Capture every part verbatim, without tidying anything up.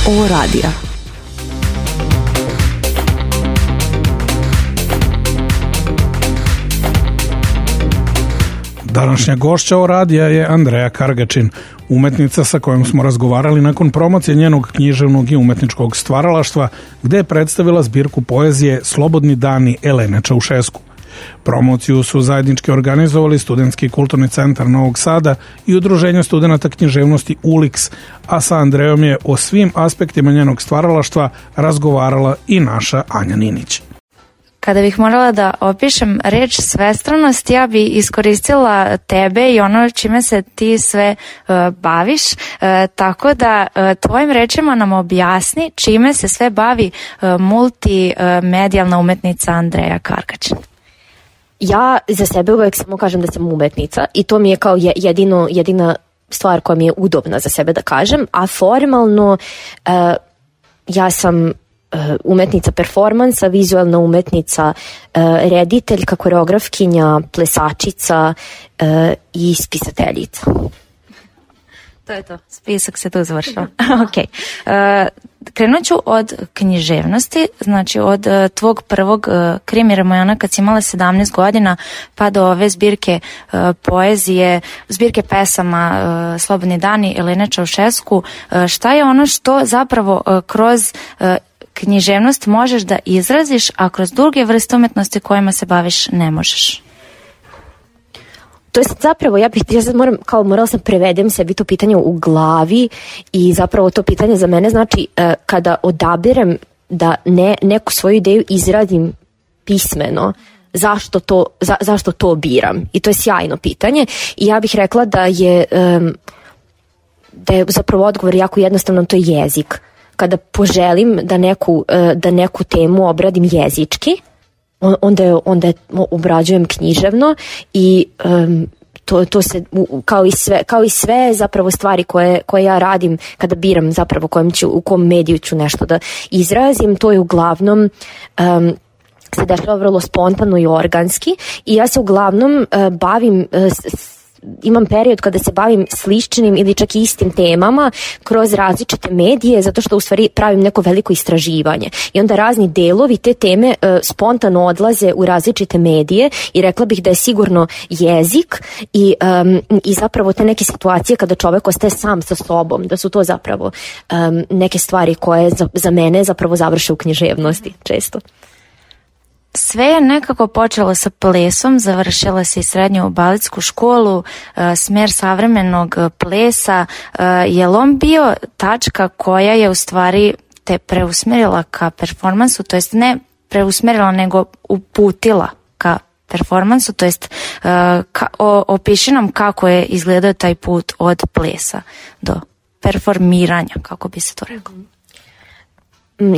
ovo radija. Današnja gošća o radija je Andreja Kargačin, umetnica sa kojom smo razgovarali nakon promocije njenog književnog i umetničkog stvaralaštva, gde je predstavila zbirku poezije Slobodni dani Elene Čaušesku. Promociju su zajednički organizovali Studentski kulturni centar Novog Sada i Udruženje studenata književnosti U L I K S, a sa Andrejom je o svim aspektima njenog stvaralaštva razgovarala i naša Anja Ninić. Kada bih morala da opišem reč svestranost, ja bi iskoristila tebe i ono čime se ti sve uh, baviš, uh, tako da uh, tvojim rečima nam objasni čime se sve bavi uh, multimedijalna umetnica Andreja Kargačin. Ja za sebe uvek samo kažem da sam umetnica i to mi je kao jedino, jedina stvar koja mi je udobna za sebe da kažem, a formalno uh, ja sam umetnica performansa, vizualna umetnica, rediteljka, koreografkinja, plesačica i spisateljica. To je to, spisak se tu završava. Ok. Krenut ću od književnosti, znači od uh, tvog prvog uh, krimi romana kad si imala sedamnaest godina pa do ove zbirke uh, poezije, zbirke pesama uh, Slobodni dani Elene Čaušesku. Uh, šta je ono što zapravo uh, kroz uh, književnost možeš da izraziš, a kroz druge vrste umetnosti kojima se baviš ne možeš? To je zapravo, ja bih, ja sad moram, kao morala sam prevedem sebi to pitanje u glavi i zapravo to pitanje za mene znači uh, kada odabirem da ne, neku svoju ideju izradim pismeno, zašto to, za, zašto to biram? I to je sjajno pitanje i ja bih rekla da je, um, da je zapravo odgovor jako jednostavno, to je jezik. Kada poželim da neku, da neku temu obradim jezički, onda je, onda je obrađujem književno i um, to, to se, kao i sve, kao i sve zapravo stvari koje, koje ja radim kada biram zapravo kojem ću, u kom mediju ću nešto da izrazim, to je uglavnom um, se dešava vrlo spontano i organski i ja se uglavnom uh, bavim uh, s, imam period kada se bavim sličnim ili čak i istim temama kroz različite medije, zato što u stvari pravim neko veliko istraživanje i onda razni delovi te teme e, spontano odlaze u različite medije i rekla bih da je sigurno jezik i, um, i zapravo te neke situacije kada čovek ostaje sam sa sobom, da su to zapravo um, neke stvari koje za, za mene zapravo završe u književnosti često. Sve je nekako počelo sa plesom, završila si srednju baletsku školu, smjer savremenog plesa. Je li on bio tačka koja je u stvari te preusmjerila ka performansu, to jest ne preusmjerila nego uputila ka performansu, to jest ka, o, opiši nam kako je izgledao taj put od plesa do performiranja, kako bi se to reklo.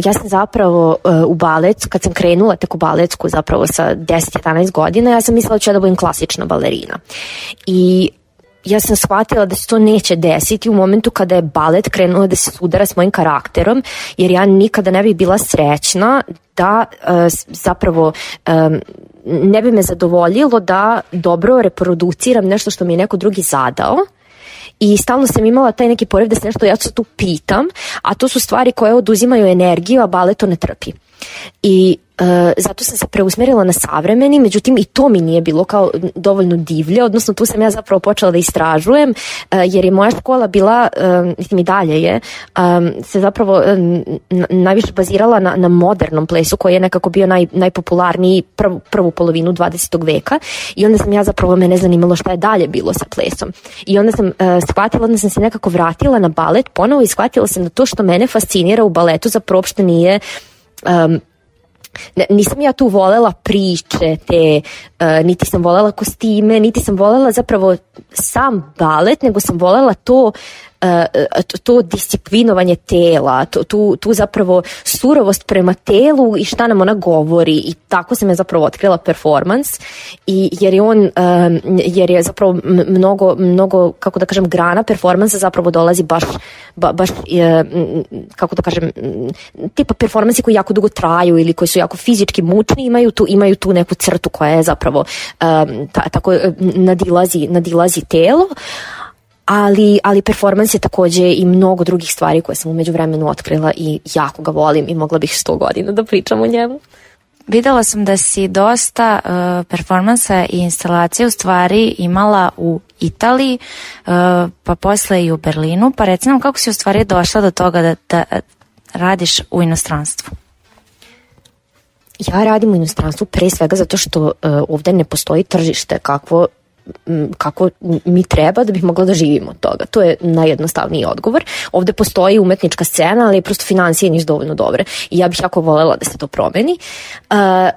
Ja sam zapravo uh, u balet, kad sam krenula tek u baletsku zapravo sa deset jedanaest godina, ja sam mislila da ću ja da budem klasična balerina. I ja sam shvatila da se to neće desiti u momentu kada je balet krenuo da se sudara s mojim karakterom, jer ja nikada ne bih bila srećna da uh, zapravo um, ne bi me zadovoljilo da dobro reproduciram nešto što mi je neko drugi zadao. I stalno sam imala taj neki poriv da se nešto ja se tu pitam, a to su stvari koje oduzimaju energiju, a balet to ne trpi. I uh, zato sam se preusmjerila na savremeni, međutim i to mi nije bilo kao dovoljno divlje, odnosno tu sam ja zapravo počela da istražujem, uh, jer je moja škola bila, uh, mislim i dalje je, um, se zapravo um, najviše bazirala na, na modernom plesu koji je nekako bio naj, najpopularniji prv, prvu polovinu dvadesetog veka i onda sam ja zapravo, mene zanimalo šta je dalje bilo sa plesom. I onda sam uh, shvatila, onda sam se nekako vratila na balet ponovo i shvatila sam da to što mene fascinira u baletu zapravo uopšte nije Um, nisam ja tu volela priče te, uh, niti sam volela kostime, niti sam volela zapravo sam balet, nego sam volela to to, to disciplinovanje tela, to, tu, tu zapravo surovost prema telu i šta nam ona govori i tako sam ja zapravo otkrila performans i jer je on, um, jer je zapravo mnogo, mnogo, kako da kažem, grana performansa zapravo dolazi baš, ba, baš je, kako da kažem, tipa performansi koji jako dugo traju ili koji su jako fizički mučni imaju tu, imaju tu neku crtu koja je zapravo um, ta, tako nadilazi, nadilazi telo. ali, ali performans je takođe i mnogo drugih stvari koje sam umeđu vremenu otkrila i jako ga volim i mogla bih sto godina da pričam o njemu. Videla sam da si dosta uh, performansa i instalacije u stvari imala u Italiji, uh, pa posle i u Berlinu, pa reci nam kako si u stvari došla do toga da, da radiš u inostranstvu? Ja radim u inostranstvu pre svega zato što uh, ovde ne postoji tržište kakvo kako mi treba da bih mogla da živimo od toga. To je najjednostavniji odgovor. Ovde postoji umetnička scena, ali prosto financije nisu dovoljno dobre i ja bih jako volela da se to promeni. A,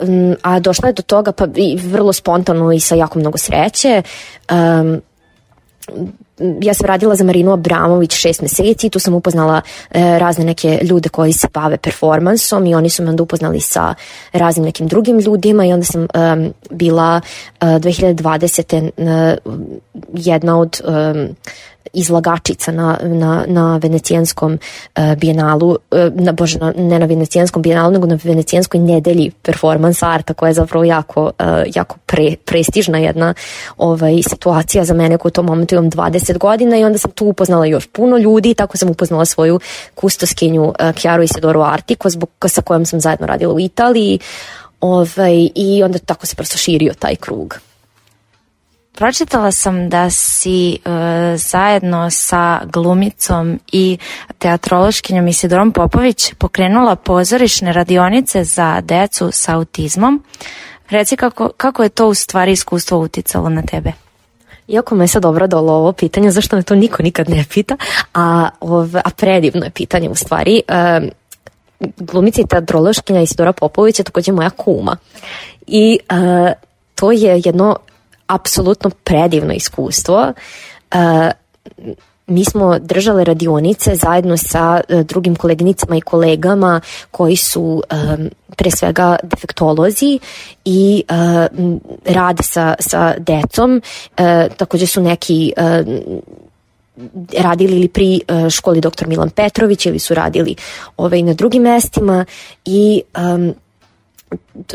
a došla je do toga pa i vrlo spontano i sa jako mnogo sreće. Um, ja sam radila za Marinu Abramović šest meseci i tu sam upoznala e, razne neke ljude koji se bave performansom i oni su me onda upoznali sa raznim nekim drugim ljudima i onda sam um, bila uh, dve hiljade dvadesete uh, jedna od um, izlagačica na, na, na venecijanskom uh, bijenalu, uh, na, bože, na, ne na venecijanskom bijenalu, nego na venecijanskoj nedelji performance arta, koja je zapravo jako, uh, jako pre, prestižna jedna ovaj, situacija za mene koja u tom momentu imam dvadeset godina i onda sam tu upoznala još puno ljudi i tako sam upoznala svoju kustoskinju uh, Chiaru Isidoru Artiko, zbog, sa kojom sam zajedno radila u Italiji ovaj, i onda tako se prosto širio taj krug. Pročitala sam da si uh, zajedno sa glumicom i teatrološkinjom Isidorom Popović pokrenula pozorišne radionice za decu sa autizmom. Reci kako, kako je to u stvari iskustvo uticalo na tebe? Iako me je sad obradalo ovo pitanje, zašto me to niko nikad ne pita, a, ov, a predivno je pitanje u stvari. Uh, glumica i teatrološkinja Isidora Popović je takođe moja kuma. I uh, to je jedno apsolutno predivno iskustvo. Uh, mi smo držale radionice zajedno sa uh, drugim koleginicama i kolegama koji su um, pre svega defektolozi i uh, rade sa, sa decom. Uh, takođe su neki uh, radili ili pri uh, školi doktor Milan Petrović ili su radili ove, na drugim mestima i um,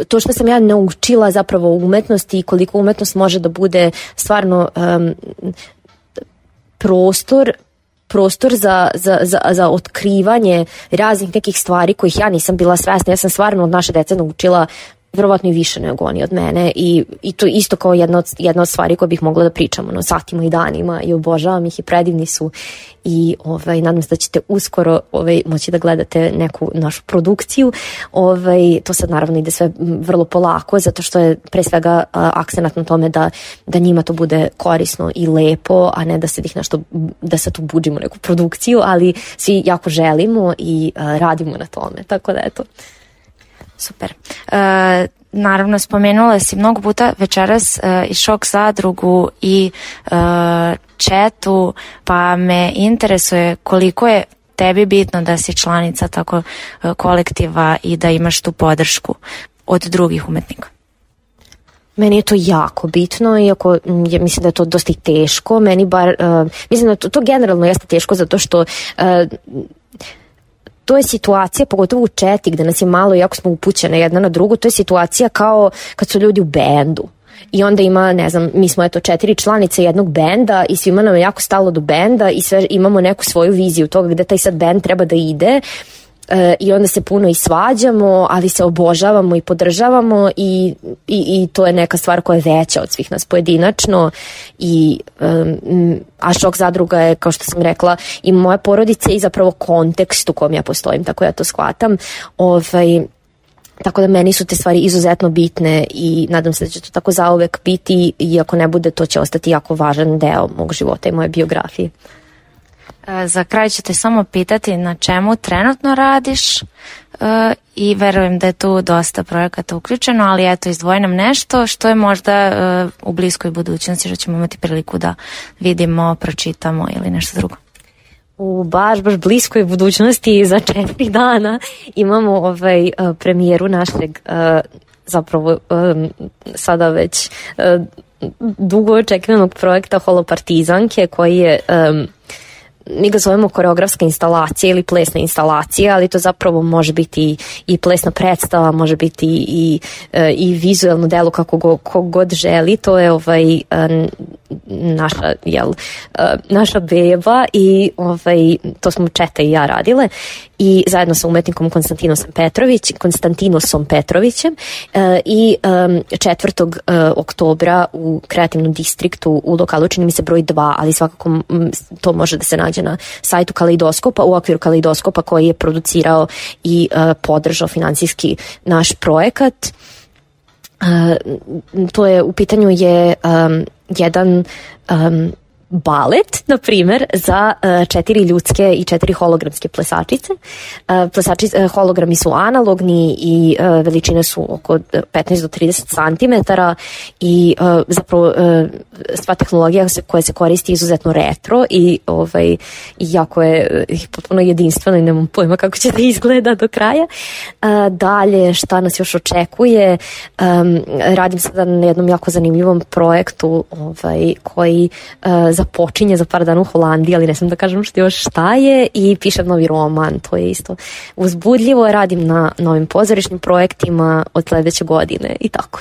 to što sam ja naučila zapravo u umetnosti i koliko umetnost može da bude stvarno um, prostor prostor za, za, za, za otkrivanje raznih nekih stvari kojih ja nisam bila svesna. Ja sam stvarno od naše dece naučila verovatno i više nego oni od mene i, i to isto kao jedna od, jedna od stvari koje bih mogla da pričam ono, satima i danima i obožavam ih i predivni su i ovaj, nadam se da ćete uskoro ovaj, moći da gledate neku našu produkciju. Ovaj, to sad naravno ide sve vrlo polako zato što je pre svega a, akcenat na tome da, da njima to bude korisno i lepo, a ne da se ih nešto, da se tu budžimo neku produkciju, ali svi jako želimo i a, radimo na tome, tako da eto. Super. E, naravno, spomenula si mnogo puta večeras e, i Šok zadrugu i e, Četu, pa me interesuje koliko je tebi bitno da si članica tako e, kolektiva i da imaš tu podršku od drugih umetnika. Meni je to jako bitno, iako ja mislim da je to dosta i teško. Meni bar, uh, mislim da to, to generalno jeste teško zato što uh, to je situacija, pogotovo u Četi gde nas je malo, iako smo upućene jedna na drugu, to je situacija kao kad su ljudi u bendu. I onda ima, ne znam, mi smo eto četiri članice jednog benda i svima nam je jako stalo do benda i sve imamo neku svoju viziju toga gde taj sad bend treba da ide. E, i onda se puno i svađamo, ali se obožavamo i podržavamo i, i, i to je neka stvar koja je veća od svih nas pojedinačno i um, a Šok zadruga je, kao što sam rekla, i moja porodica i zapravo kontekst u kom ja postojim, tako ja to shvatam. Ovaj, tako da meni su te stvari izuzetno bitne i nadam se da će to tako zauvek biti i ako ne bude, to će ostati jako važan deo mog života i moje biografije. Za kraj ću te samo pitati na čemu trenutno radiš uh, i verujem da je tu dosta projekata uključeno, ali eto izdvoji nam nešto što je možda uh, u bliskoj budućnosti što ćemo imati priliku da vidimo, pročitamo ili nešto drugo. U baš, baš bliskoj budućnosti za četiri dana imamo ovaj, uh, premijeru našeg uh, zapravo um, sada već uh, dugo očekivanog projekta Holopartizanke koji je um, mi ga zovemo koreografska instalacija ili plesna instalacija, ali to zapravo može biti i plesna predstava, može biti i, i vizuelno delo kako go, god želi. To je ovaj naša, jel, naša beba i ovaj, to smo Četa i ja radile i zajedno sa umetnikom Konstantinosom Petrović, Konstantinosom Petrovićem i četvrtog oktobra u kreativnom distriktu u lokalu, čini mi se broj dva, ali svakako to može da se nađe na sajtu Kaleidoskopa, u okviru Kaleidoskopa koji je producirao i podržao finansijski naš projekat. To je, u pitanju je jedan balet, na primer, za uh, četiri ljudske i četiri hologramske plesačice. Uh, plesačice, uh, hologrami su analogni i uh, veličine su oko petnaest do trideset centimetara i uh, zapravo uh, sva tehnologija se, koja se koristi izuzetno retro i ovaj, jako je uh, potpuno jedinstveno i nemam pojma kako će da izgleda do kraja. Uh, dalje, šta nas još očekuje? Um, radim sada na jednom jako zanimljivom projektu ovaj, koji uh, započinje za par dana u Holandiji, ali ne sam da kažem što još šta je, i pišem novi roman, to je isto uzbudljivo, radim na novim pozorišnim projektima od sledeće godine i tako.